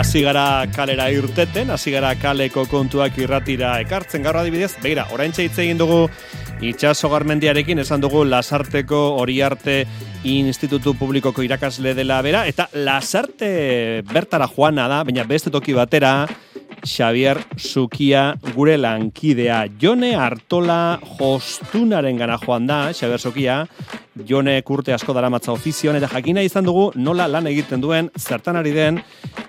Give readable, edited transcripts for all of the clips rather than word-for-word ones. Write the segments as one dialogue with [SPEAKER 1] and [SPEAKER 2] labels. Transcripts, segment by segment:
[SPEAKER 1] hasi gara kalera irteten, hasi gara kaleko kontuak irratira ekartzen. Gaur adibidez, begira, oraintxe hitz egin dugu Itxaso Garmendiarekin, esan dugu Lasarteko Oriarte Institutu Publikoko irakasle dela bera, eta Lasarte bertara joana da, baina beste toki batera, Xabier Zukia gure lankidea. Jone Artola Jostunaren gana joan da, Xabier Zukia, Jone urte asko daramatza ofizioan, eta jakina izan dugu nola lan egiten duen, zertan ari den,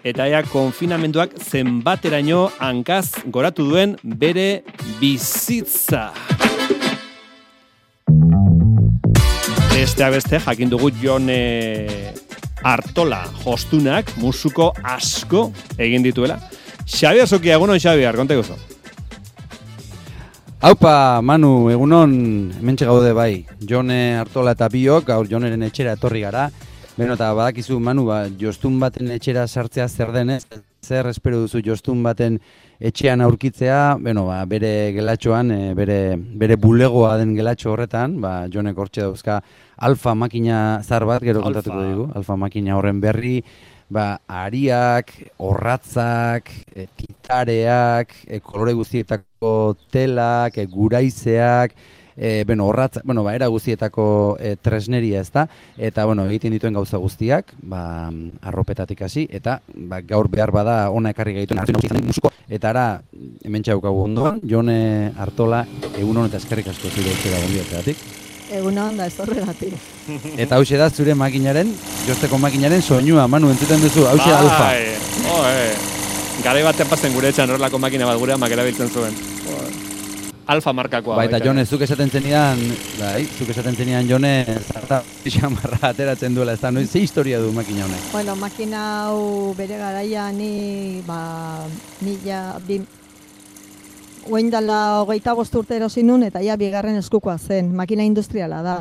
[SPEAKER 1] eta ea konfinamenduak zenbateraino hankaz goratu duen bere bizitza. Besteak beste, jakin dugu Jone Artola Jostunak musuko asko egin dituela. Xabier Zukia, egunon Xabier, konta guzu.
[SPEAKER 2] Aupa, Manu, egunon, hementxe gaude bai. Jone Artola eta biok, gaur Joneren etxera etorri gara. Beno, eta badakizu, Manu, jostun baten etxera sartzea zer denez, zer espero duzu jostun baten etxean aurkitzea, beno, bere gelatxoan, bere bulegoa den gelatxo horretan, Jonek hortxe dauzka alfa makina zar bat, gero kontatuko dugu, alfa makina horren berri, ariak, orratzak, titareak, kolore guztietako telak, guraizeak, era guztietako tresneria ez da, eta egiten dituen gauza guztiak, arropetatik hasi, eta gaur behar bada ona ekarri gaituen musiko, eta ara, hementxe daukagu ondoan, Jone Artola, egunon eta eskerrik asko zure etxera gonbidatzeagatik.
[SPEAKER 3] Egunon da ez horregatik.
[SPEAKER 2] Eta hauxe da zure makinaren, josteko makinaren soinua, Manu, entzuten duzu, hauxe da alfa.
[SPEAKER 1] Garai batean pasen gure etxan horrelako makina bat gurean makerabiltzen zuen. Alfa markakoa.
[SPEAKER 2] Eta Jone, zuk esaten zenidan, Jone, zarta pixamarra ateratzen duela, ez da, ze historia du makina honek?
[SPEAKER 3] Bueno, makina hau bere garaia ni, Oindala 25 urte erosin nun, eta ja bigarren eskukoa zen, makina industriala da.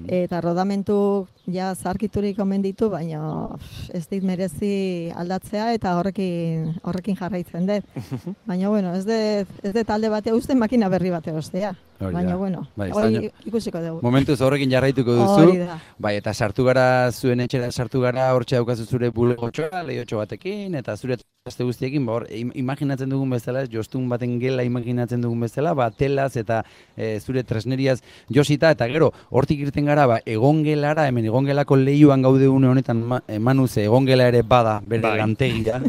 [SPEAKER 3] Eta rodamentu ja zarkiturik omen ditu, baina ez dit merezi aldatzea eta horrekin jarraitzen dut. Baina, ez dut talde batea uste makina berri batea ostea. Baina, hori ikusiko dugu.
[SPEAKER 2] Momentuz horrekin jarraituko duzu. Eta sartu gara, zuen etxera sartu gara, hortxe daukazu zure bulegotxoa, lehiotxo batekin, eta zure aste guztiekin, imaginatzen dugun bezala, jostun baten gela imaginatzen dugun bezala, telaz eta zure tresneriaz josita, eta gero, hortik irten gara, egongelara, hemen egongelako lehioan gaude une honetan, Manuz, egongela ere bada, bere lantegia,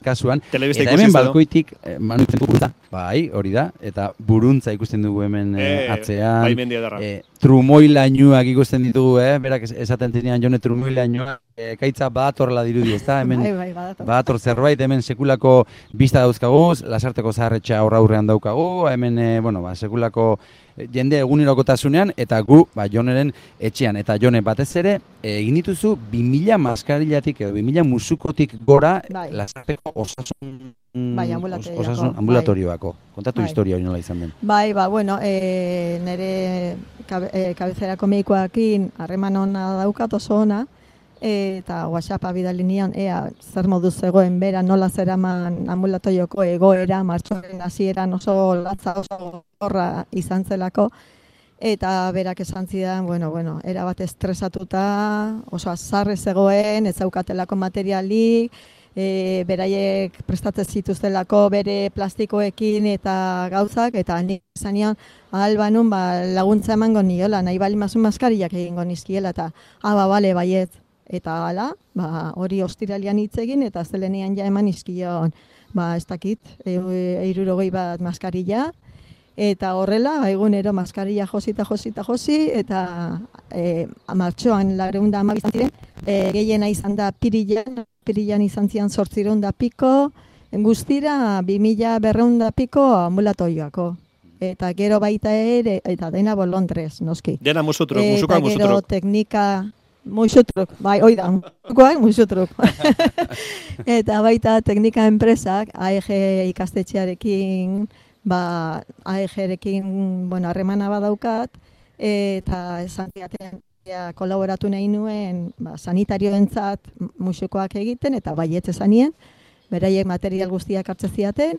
[SPEAKER 2] kasuan, eta hemen balkoitik, Manuzen buruntza, hori da, eta buruntza ikusten dugu hemen atzean, trumoilainuak ikusten ditugu, berak esaten zenean Jone trumoilainuak, kaitza badatorla dirudi, ez da, hemen badator zerbait, hemen sekulako bista dauzkagu, Lasarteko zaharretxa aurrean daukagu, hemen, sekulako jende egunerokotasunean, eta gu, Joneren etxean, eta Jone batez ere, egin dituzu 2000 maskarillatik edo 2000 musukotik gora Lasarteko osasun ambulatorioako. Kontatu historia hori nola izan den.
[SPEAKER 3] Nire kabezerako medikoakin harreman ona daukat oso ona, eta WhatsAppa bidali nion, zer moduz zegoen bera nola zeraman ambulatorioko egoera, martxoaren hasieran oso latza oso horra izan zelako, eta berak esan zidan, erabat estresatuta, oso azarre zegoen, ez zaukatelako materialik, beraiek prestatzen zituztelako bere plastikoekin eta gauzak, eta nik esan nion, albanun laguntza emango niola, nahi bali mazun maskariak egingo nizkiela, eta bale, baiet. Eta hala, hori ostiralian hitz egin, eta zelenean ja eman izkion, ez dakit, 60 bat maskarilla, eta horrela, egunero maskarilla josi, eta martxoan 212 izan ziren, gehiena izan da Pirilan izan zian 800 piko, guztira 2200 piko ambulatorioako. Eta gero baita ere, eta dena Londres, noski.
[SPEAKER 1] Dena musutruk, musukoak musutruk.
[SPEAKER 3] Eta gero teknika, musutruk, oida, musutruk. Eta baita teknika enpresak, AEG ikastetxearekin, AEG-rekin, harremana badaukat, eta esan ziaten, kolaboratu nahi nuen sanitarioentzat musukoak egiten, eta baietz esanien, beraiek material guztiak hartzen ziaten,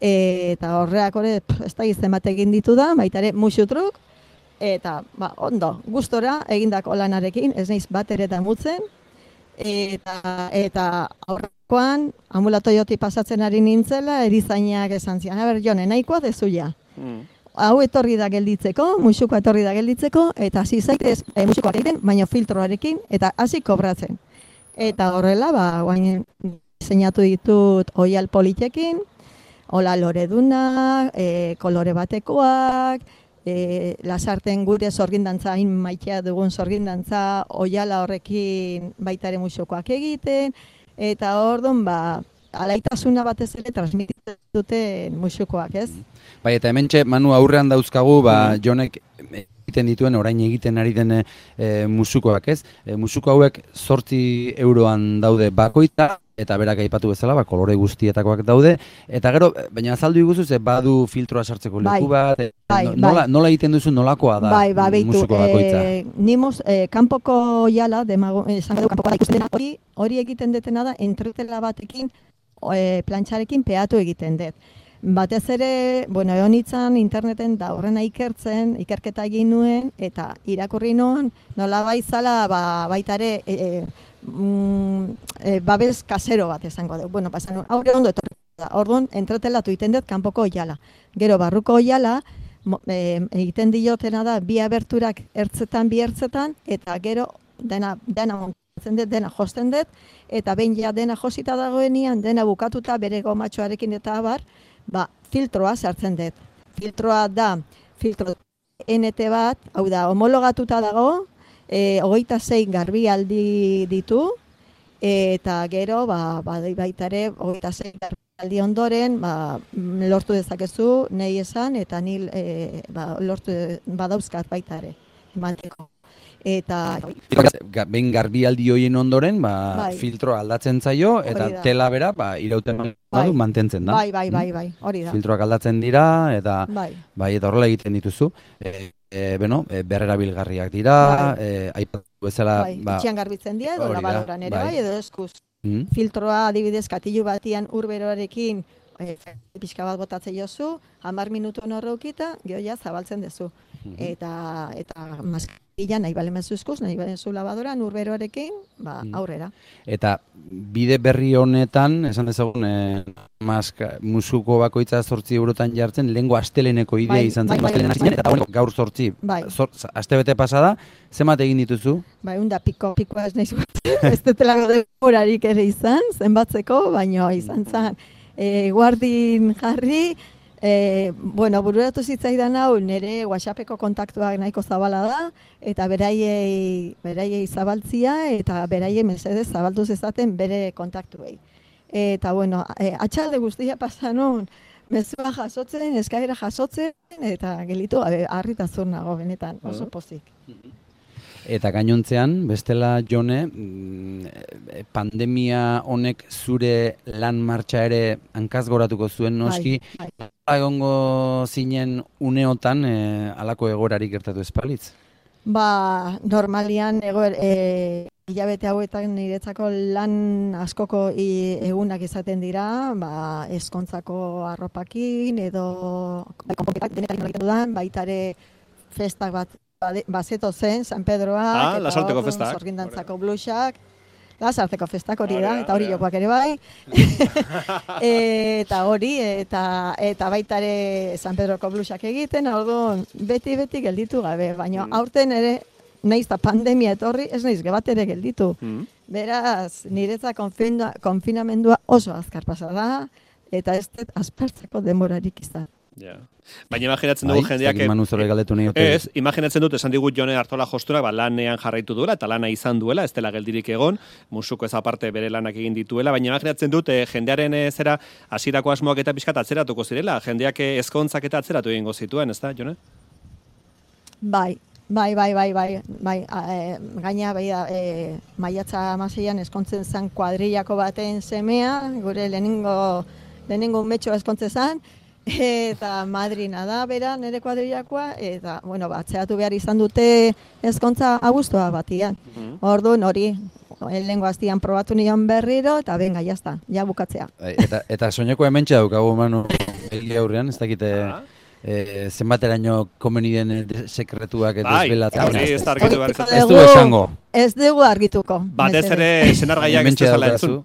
[SPEAKER 3] eta horreak hori, ez da gizten bat egin ditu da, baita ere musutruk, eta ondo, gustora egindako lanarekin, ez naiz bat ere damutzen, eta aurrekoan ambulatoiotik pasatzen ari nintzela, erizainak esan zian, Jone, nahikoa dezuia. Hau etorri da gelditzeko, musukoa etorri da gelditzeko, eta hasi zaitez musukoak egiten, baina filtroarekin, eta hasi kobratzen. Eta horrela, guain diseinatu ditut oial politekin, hola loreduna, kolore batekoak, lasarten gure sorgindantza, hain maitea dugun sorgindantza, oiala horrekin baita ere musukoak egiten, eta orduan, alaitasuna batez ere transmititzen duten musukoak, ez?
[SPEAKER 2] Bai, eta hementxe, Manu, aurrean dauzkagu, Jonek egiten dituen, orain egiten ari den musukoak, ez? Musuko hauek 8 euroan daude bakoitza, eta berak aipatu bezala, kolore guztietakoak daude, eta gero, baina azaldu iguzu, badu filtroa sartzeko leku bat, nola egiten duzu, nolakoa da musuko bakoitza?
[SPEAKER 3] Nimos, kanpoko jala, esan edo kanpoko ikusten dena, hori egiten detena da, entretela batekin, plantxarekin peatu egiten dut. Batez ere, egon itzan interneten da horrena ikerketa egin nuen, eta irakurri nuen, nola baizala, baita ere, babes kasero bat esango dugu. Pasan nuen, aurre ondo etorri da, orduan entretelatu egiten dut kanpoko oiala. Gero barruko oiala, egiten diotena da, bi aberturak bi ertzetan, eta gero dena montatzen dut, dena josten dut, eta behin ja dena josita dagoenian, dena bukatuta bere gomatxoarekin eta abar, filtroa sartzen dut. Filtroa da, filtro NT bat, hau da, homologatuta dago, 26 garbialdi ditu, eta gero, baita ere, 26 garbialdi ondoren, lortu dezakezu, nahi esan, eta nil lortu badauzkat baita ere, emateko. Eta
[SPEAKER 2] behin garbialdi hoien ondoren, filtroa aldatzen zaio, eta tela bera, irauten badu mantentzen da.
[SPEAKER 3] Bai, hori da.
[SPEAKER 2] Filtroak aldatzen dira, eta eta horrela egiten dituzu. Berrerabilgarriak dira, aipatu bezala...
[SPEAKER 3] Itxian garbitzen dira, edo labadoran ere edo eskuz. Filtroa adibidez katilu batian urberoarekin pixka bat botatzen jozu, 10 minutu horreukita, gero ja zabaltzen dezu. Eta maskila nahi balemezu eskuz, nahi balemezu labadoran urberoarekin, aurrera.
[SPEAKER 2] Eta bide berri honetan, esan dezagun, musuko bakoitza 8 eurotan jartzen, lehengo asteleneko idea izan zen, eta gaur 8, astebete pasada, zenbat egin dituzu?
[SPEAKER 3] Unda pikoa ez nahi zuatzen, ez detelako denborarik ere izan, zenbatzeko, baina izan zen, guardin jarri, bururatu zitzaidan hau, nire WhatsAppeko kontaktuak nahiko zabala da, eta beraiei zabaltzia, eta beraiei mesedez zabalduz ezaten bere kontaktuei. Eta, atxalde guztia pasanun, mezua jasotzen, eskaira jasotzen, eta gelitu, harritazur nago, benetan, oso pozik.
[SPEAKER 2] Eta gainontzean, bestela Jone, pandemia honek zure lan martxa ere hankaz goratuko zuen noski, egongo zinen uneotan halako egorarik gertatu espalitz?
[SPEAKER 3] Normalian hilabete hauetan niretzako lan askoko egunak izaten dira, ezkontzako arropakin edo konponketak denetarik egiten dudan, baita ere festak bat bazeto zen, San Pedroak, eta zorgindantzako blusak, Lasarteko festak hori da, eta hori jokoak ere bai. Eta hori, eta baita ere San Pedroko blusak egiten, orduan beti gelditu gabe, baina aurten ere, nahiz eta pandemia etorri, ez nahiz gebat ere gelditu. Beraz, niretza konfinamendua oso azkar pasa da, eta ez dut aspertzeko denborarik izan.
[SPEAKER 1] Baina imaginatzen dugu jendeak... imaginatzen dut, esan digut Jone Artola josturak, lanean jarraitu duela, eta lana izan duela, ez dela geldirik egon, musuko ez aparte bere lanak egin dituela, baina imaginatzen dut, jendearen zera, hasierako asmoak eta pixkat atzeratuko zirela, jendeak ezkontzak eta atzeratu egingo zituen, ez da, Jone?
[SPEAKER 3] Bai. Gaina, maiatza 16an eskontzen zen kuadrillako baten semea, gure lehenengo umetxoa eskontzen zen, eta madrina da, bera, nire kuadrillakoa, eta, atzeatu behar izan dute ezkontza abuztua batian. Orduan hori, lehengo aztian probatu nion berriro, eta benga, jazta, ja bukatzea.
[SPEAKER 2] Eta soineko hementxe daukagu, Manu, egia aurrean, ez dakite... zenbateraino komeni den sekretuak desbelatzen.
[SPEAKER 1] Bai, ez da argitu behar
[SPEAKER 2] ez du esango.
[SPEAKER 3] Ez dugu argituko.
[SPEAKER 1] Batez ere senargaiak ez duzala entzun.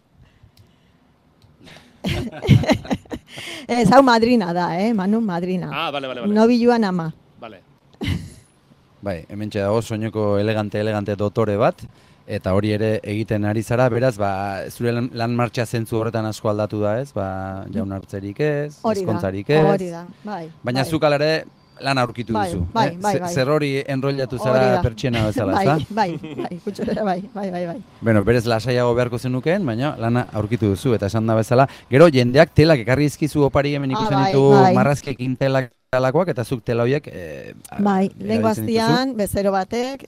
[SPEAKER 3] Ez hau madrina da, Manu, madrina.
[SPEAKER 1] Ah, bale.
[SPEAKER 3] Nobiluan ama.
[SPEAKER 1] Bale.
[SPEAKER 2] Bai, hementxe dago soineko elegante dotore bat, eta hori ere egiten ari zara, beraz, zure lan martxa zentzu horretan asko aldatu da ez, jaunartzerik ez, ezkontzarik ez.
[SPEAKER 3] Hori da, bai.
[SPEAKER 2] Baina zuk alare lan aurkitu duzu.
[SPEAKER 3] Bai.
[SPEAKER 2] Zer hori enrollatu zara pertsiena bezala, ezta?
[SPEAKER 3] Bai, kutxurera, bai.
[SPEAKER 2] Bueno, berez lasaiago beharko zenukeen, baina lana aurkitu duzu, eta esan da bezala. Gero, jendeak telak ekarri izkizu opari hemen ikusten ditu marrazkekin telak alakoak, eta zuk tela horiek
[SPEAKER 3] lehenko aztian, bezero batek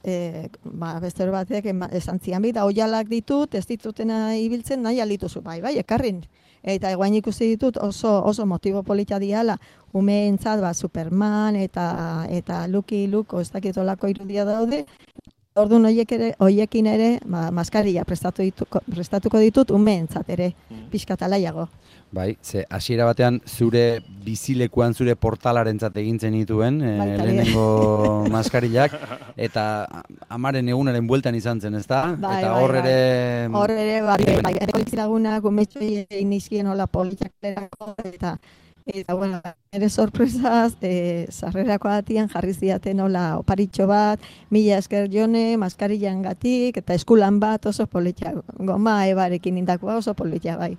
[SPEAKER 3] esan zian bi, da oialak ditut, ez ditutena ibiltzen nahi aldituzu, bai, ekarrin. Eta eguain ikusi ditut oso motibo polita diala, umeentzat Superman eta Lucky Luke, ez dakitolako irudia daude, orduan hoiekin ere maskarilla prestatuko ditut umeentzat ere, pixkatalaiago.
[SPEAKER 2] Bai, hasiera batean zure bizilekuan zure portalarentzat egintzen dituen lehenengo maskarillak, eta amaren egunaren bueltan izan zen, ezta? Eta hor ere...
[SPEAKER 3] Hor ere, kolekziragunak, umetxoi egin izkien hola politxaklerako, eta bueno, ere sorpresaz, sarrerako atian jarri ziaten hola oparitxo bat, 1000 esker Jone, maskarillan gatik, eta eskulan bat oso politxak, goma ebarekin indakoa oso politxak, bai.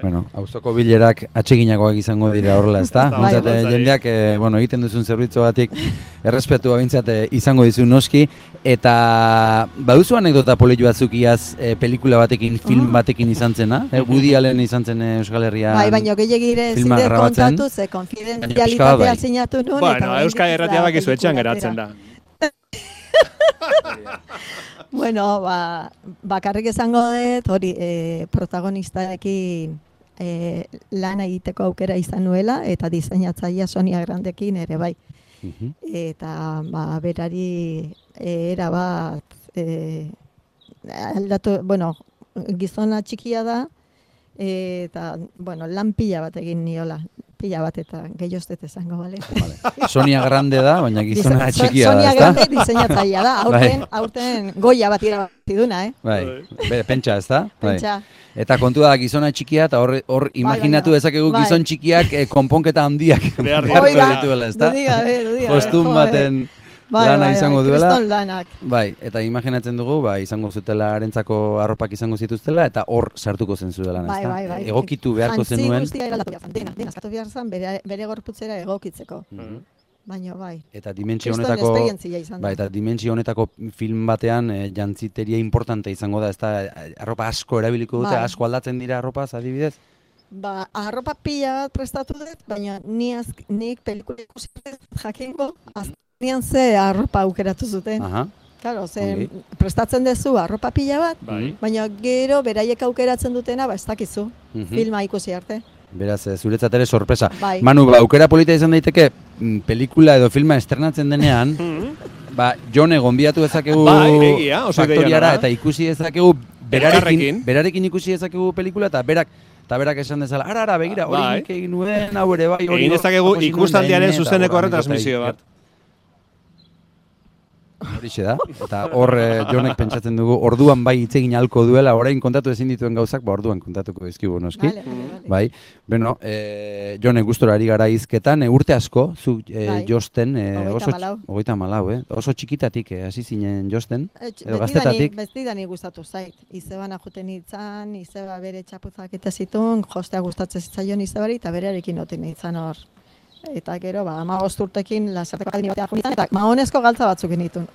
[SPEAKER 2] Bueno, auzoko bilerak atseginagoak izango dira horrela, ezta? Jendeak, egiten duzun zerbitzuagatik errespetua bintzat izango dizu noski, eta baduzu anekdota polit batzuk iaz pelikula batekin, film batekin izan zena? Woody Allen izan zen Euskal Herrian
[SPEAKER 3] bai, baina gehiagire zide kontatu ze konfidenzialitatea zinatu nuen.
[SPEAKER 1] Bueno, Euskal Herratia bakizu etxean geratzen da.
[SPEAKER 3] Bueno, bakarrik esango dut, hori protagonistarekin lan egiteko aukera izan nuela, eta diseinatzailea Sonia Grandekin ere bai. Eta berari erabat aldatu, gizona txikia da, eta, lan pila bat egin niola. Pila bat eta gehioztet esango, bale?
[SPEAKER 2] Sonia Grande da, baina gizona txikia da,
[SPEAKER 3] Sonia Grande diseinatzailea da, aurten goia bat irabati duna,
[SPEAKER 2] Bai, pentsa, ezta?
[SPEAKER 3] Pentsa.
[SPEAKER 2] Eta kontua da gizona txikia, eta hor imaginatu dezakegu gizon txikiak konponketa handiak beharko dituela, ezta? Kostun baten lana izango duela.
[SPEAKER 3] Kriston lanak.
[SPEAKER 2] Bai, eta imaginatzen dugu, izango zutela arentzako arropak izango zituztela, eta hor sartuko zen zure lana, ezta?
[SPEAKER 3] Bai.
[SPEAKER 2] Egokitu beharko zenuen.
[SPEAKER 3] Jantzi guztia eraldatu behar zen, dena eskatu behar zen bere gorputzera egokitzeko. Baina bai.
[SPEAKER 2] Eta dimentsio honetako film batean jantziteria importante izango da, ezta? Arropa asko erabiliko dute, asko aldatzen dira arropaz, adibidez?
[SPEAKER 3] Arropa pila bat prestatu dut, baina nik pelikula ikusi jakingo, azkenean ze arropa aukeratu zuten. Claro, prestatzen duzu arropa pila bat, baina gero beraiek aukeratzen dutena, ez dakizu, filma ikusi arte.
[SPEAKER 2] Beraz, zuretzat ere sorpresa. Manu, aukera polita izan daiteke, pelikula edo filma estrenatzen denean, Jone gonbidatu dezakegu faktoriara, eta ikusi dezakegu berarekin ikusi dezakegu pelikula, eta berak esan dezala, ara, begira, hori nik egin nuen, hau ere bai,
[SPEAKER 1] egin dezakegu ikustaldiaren zuzeneko retransmisio bat.
[SPEAKER 2] Horixe da, eta hor Jonek pentsatzen dugu, orduan bai hitz egin ahalko duela, orain kontatu ezin dituen gauzak, orduan kontatuko dizkigu noski. Bai, bueno, Jonek gustora ari gara hizketan, urte asko, zu josten, oso txikitatik hasi zinen josten, edo gaztetatik.
[SPEAKER 3] Bestidanik gustatu zait, izebana juten hitzan, izeba bere txapuzak eta zituen, jostea gustatzen zitzaion izebari, eta berearekin noten hitzan hor. Eta gero, 15 urtekin lasarteko akademia batean junitzen, eta mahonezko galtza batzuk genitun.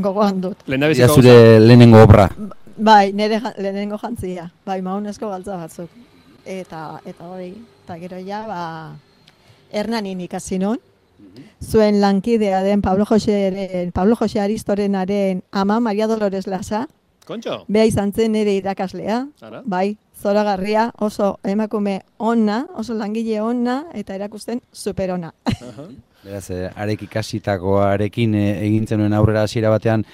[SPEAKER 3] Gogoan dut.
[SPEAKER 2] Ia zure lehenengo obra.
[SPEAKER 3] Bai, nire lehenengo jantzia. Bai, mahonezko galtza batzuk. Eta hori, eta gero ja, Hernanin ikasi nun. Zuen lankidea den Pablo Jose Aristorenaren ama, Maria Dolores Lasa.
[SPEAKER 1] Kontxo?
[SPEAKER 3] Bea izan zen nire irakaslea. Bai, zoragarria, oso emakume ona, oso langile ona, eta erakusten superona.
[SPEAKER 2] Beraz, arek ikasitakoarekin egin zenuen aurrera hasiera batean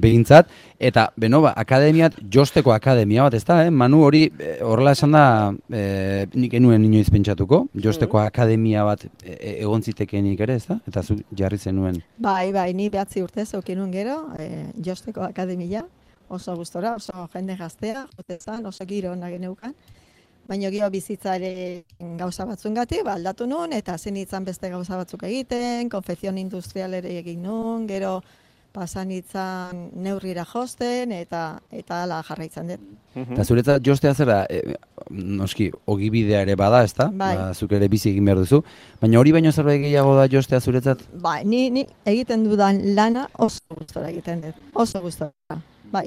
[SPEAKER 2] behintzat. Eta, akademiat, josteko akademia bat, ez da, Manu, hori horrela esan da, nik enuen inoiz pentsatuko, josteko akademia bat egon zitekenik ere, ez da? Eta zu jarri zenuen.
[SPEAKER 3] Bai, ni 9 urte zeukinuen gero, josteko akademia, oso gustora, oso jende gaztea, jotezan, oso giro ona geneukan. Baina gero bizitzare gauza batzungatik, aldatu nun, eta zen itzan beste gauza batzuk egiten, konfekzion industrialere egin nun, gero pasan itzan neurrira josten, eta ala jarraitzen dut.
[SPEAKER 2] Eta zuretzat jostea zera, noski, ogibidea ere bada, ez da? Zuk ere bizi egin behar duzu. Baina hori baino zerbait gehiago da jostea zuretzat?
[SPEAKER 3] Ni egiten dudan lana oso gustora egiten dut, oso gustora.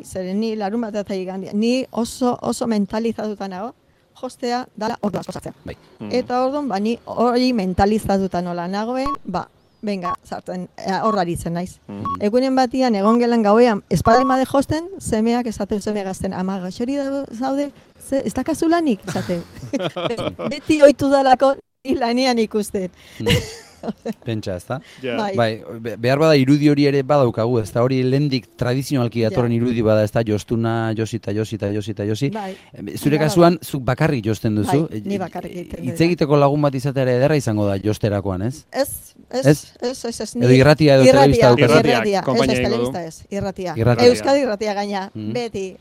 [SPEAKER 3] Zeren ni larun bat eta igandia, ni oso mentalizatuta nago, jostea dala ordu asko sartzea. Eta orduan, ni hori mentalizatuta nola nagoen, venga, sartzen, horraritzen naiz. Egunen batian, egon gelan gauean, espadimade josten, semeak esateu seme gazten, ama gaixori zaude, ez dakazu lanik, esateu. Beti oitu dalako lanean ikusten.
[SPEAKER 2] Pentsa, ez da? Behar bada irudi hori ere badaukagu, ez da hori lehendik tradizionalki datorren irudi bada, ez da jostuna, josi. Zure kasuan, zuk bakarrik josten duzu.
[SPEAKER 3] Ni bakarrik egiten dut.
[SPEAKER 2] Hitz egiteko lagun bat izatea ere ederra izango da josterakoan, ez?
[SPEAKER 3] Ez.
[SPEAKER 2] Edo irratia edo telebista dukazu.
[SPEAKER 3] Irratia. Euskadi irratia gaina, beti.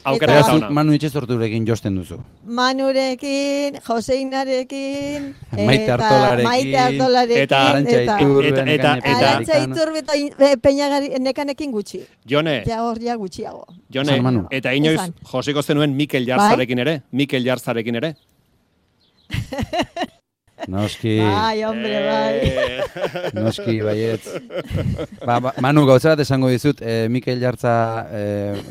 [SPEAKER 2] Manu Itxezorturekin josten duzu.
[SPEAKER 3] Manurekin, Joseinarekin,
[SPEAKER 2] Maite Artolarekin,
[SPEAKER 3] eta Iturbe Peñagari nekanekin gutxi.
[SPEAKER 1] Jone.
[SPEAKER 3] Ja hor ja gutxiago.
[SPEAKER 1] Jone, eta inoiz josiko zenuen Mikel Jarzarekin ere?
[SPEAKER 2] Noski.
[SPEAKER 3] Hombre,
[SPEAKER 2] Noski, baietz. Manu, gauza bat esango dizut, Mikel Jartza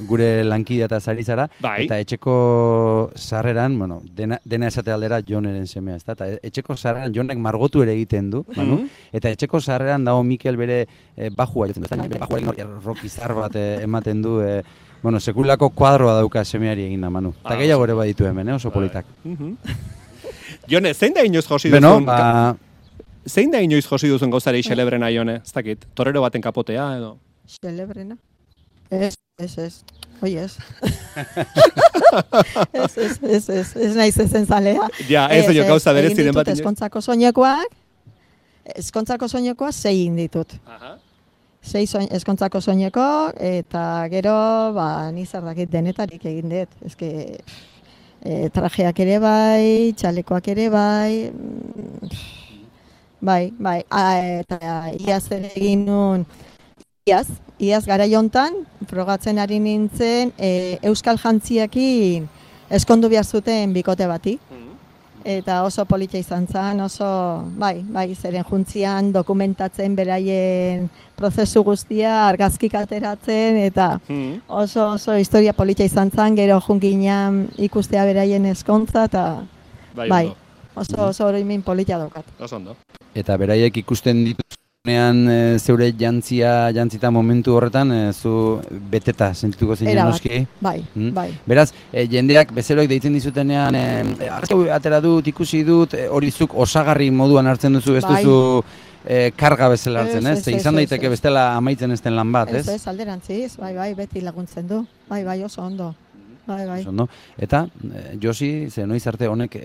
[SPEAKER 2] gure lankidea eta zari zara, eta etxeko sarreran, dena esate aldera Joneren semea, ez da? Eta etxeko sarreran Jonek margotu ere egiten du, Manu, eta etxeko sarreran dago Mikel bere bajua jotzen du, bere bajuarekin rockizar bat ematen du, sekulako kuadroa dauka semeari egin da, Manu. Eta gehiago ere baditu hemen, oso politak.
[SPEAKER 1] Jone, zein da inoiz josi duzun? Zein da inoiz josi duzun gauzari xelebrena, Jone? Ez dakit, torero baten kapotea edo?
[SPEAKER 3] Xelebrena? Ez. Oi, ez. Ez naiz ezen zalea.
[SPEAKER 1] Ja, ez dut gauza berez ziren bat.
[SPEAKER 3] Eskontzako soinekoak 6 ditut. 6 eskontzako soineko, eta gero, ni zer dakit denetarik egin dut. Ezke... trajeak ere bai, txalekoak ere bai, eta iaz ere egin nun, iaz gara jontan, progatzen ari nintzen, euskal jantziakin eskondu behar zuten bikote bati. Eta oso politia izan zen, oso, zeren juntzian dokumentatzen beraien prozesu guztia, argazkik ateratzen, eta oso historia politia izan zen, gero junkinean ikustea beraien eskontza, eta oso oroimen politia daukat.
[SPEAKER 1] Oso ondo.
[SPEAKER 2] Eta beraiek ikusten dituzunean zeure jantzita momentu horretan, zu beteta sentituko zinen noski?
[SPEAKER 3] Bai.
[SPEAKER 2] Beraz, jendeak bezeroek deitzen dizutenean, arrazko atera dut, ikusi dut, hori zuk osagarri moduan hartzen duzu, ez duzu karga bezala hartzen, ez? Izan daiteke bestela amaitzen ez den lan bat, ez?
[SPEAKER 3] Ez, alderantziz, beti laguntzen du, oso ondo.
[SPEAKER 2] Eta, Josi, ze noiz arte honek,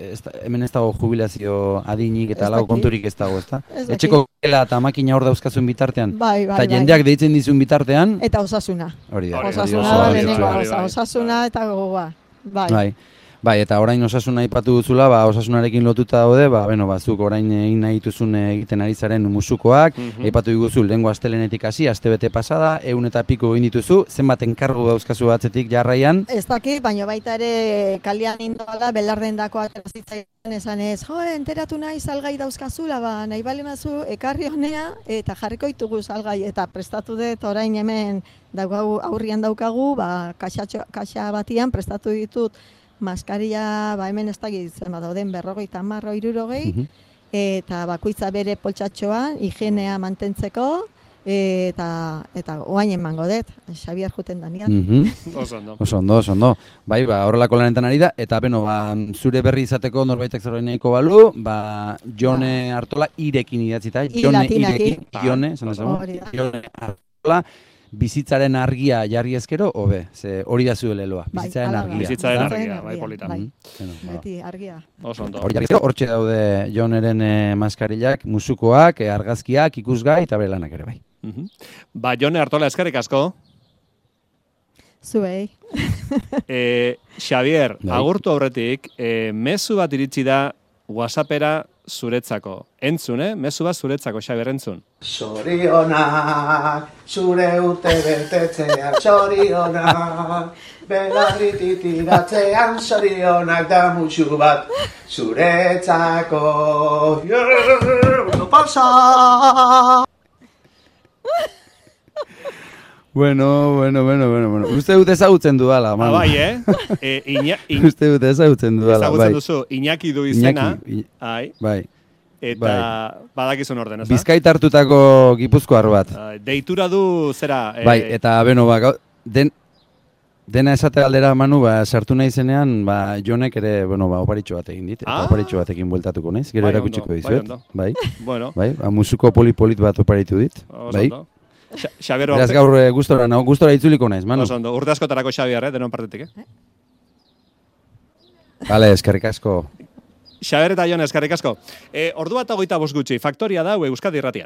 [SPEAKER 2] hemen ez dago jubilazio adinik eta lau konturik ez dago, ez da? Etxeko gela eta makina hor dauzkazun bitartean. Eta jendeak deitzen dizun bitartean.
[SPEAKER 3] Eta osasuna.
[SPEAKER 2] Hori da.
[SPEAKER 3] Osasuna eta gogoa.
[SPEAKER 2] Bai, eta orain osasuna aipatu duzula, osasunarekin lotuta daude, zuk orain egin nahi dituzun egiten ari zaren musukoak, aipatu diguzu lehengo astelenetik hasi, astebete pasada, 100 eta piko egin dituzu, zenbat enkargu dauzkazu atzetik jarraian?
[SPEAKER 3] Ez dakit, baina baita ere kalian indoala, belarden dako aterazitzaian esan ez, enteratu nahi salgai dauzkazula, nahi bali mazu ekarri honea, eta jarriko ditugu salgai, eta prestatu dut orain hemen aurrian daukagu, kaxa batian prestatu ditut, maskaria, hemen ez dakit zen dauden 50, 60, eta bakoitza bere poltsatxoan, higienea mantentzeko, eta oain emango dut, Xabier juten danian.
[SPEAKER 1] Oso
[SPEAKER 2] ondo. Bai, horrelako lanetan ari da, eta beno, zure berri izateko norbaitek zerbait nahiko balu, Jone Artola irekin idatzita, Jone Artola, bizitzaren argia jarri ezkero, hobe, ze hori da zuen leloa, bizitzaren argia.
[SPEAKER 1] Bai, polita.
[SPEAKER 3] Beti, argia.
[SPEAKER 1] Oso ondo.
[SPEAKER 2] Hortxe daude Joneren maskarillak, musukoak, argazkiak, ikusgai, eta bere lanak ere bai.
[SPEAKER 1] Jone Artola, eskerrik asko.
[SPEAKER 3] Zuei.
[SPEAKER 1] Xabier, agurtu aurretik, mezu bat iritsi da WhatsAppera zuretzako. Entzun, mezu bat zuretzako, Xabier, entzun.
[SPEAKER 4] Zorionak, zure urte betetzean, zorionak, belarrititiratzean, zorionak da mutxu bat, zuretzako. Pasa!
[SPEAKER 2] Bueno. Uste dut ezagutzen dudala, man.
[SPEAKER 1] Bai,
[SPEAKER 2] Uste dut ezagutzen dudala, bai.
[SPEAKER 1] Ezagutzen duzu, Iñaki du izena.
[SPEAKER 2] Bai.
[SPEAKER 1] Eta badakizun orden, ez da?
[SPEAKER 2] Bizkait hartutako gipuzkoar bat.
[SPEAKER 1] Deitura du zera...
[SPEAKER 2] Bai, eta beno, dena esate aldera, Manu, sartu nahi zenean, Jonek ere, oparitxo bat egin dit, eta oparitxo batekin bueltatuko naiz, gero erakutsiko dizuet. Bai, musuko polipolit bat oparitu dit. Bai. Beraz gaur gustora itzuliko naiz, Manu.
[SPEAKER 1] Oso ondo, urte askotarako Xabier, denon partetik,
[SPEAKER 2] Bale, eskerrik asko.
[SPEAKER 1] Xabier eta Jon, eskerrik asko. Ordu bat 25 gutxi, Faktoria da, Euskadi Irratian.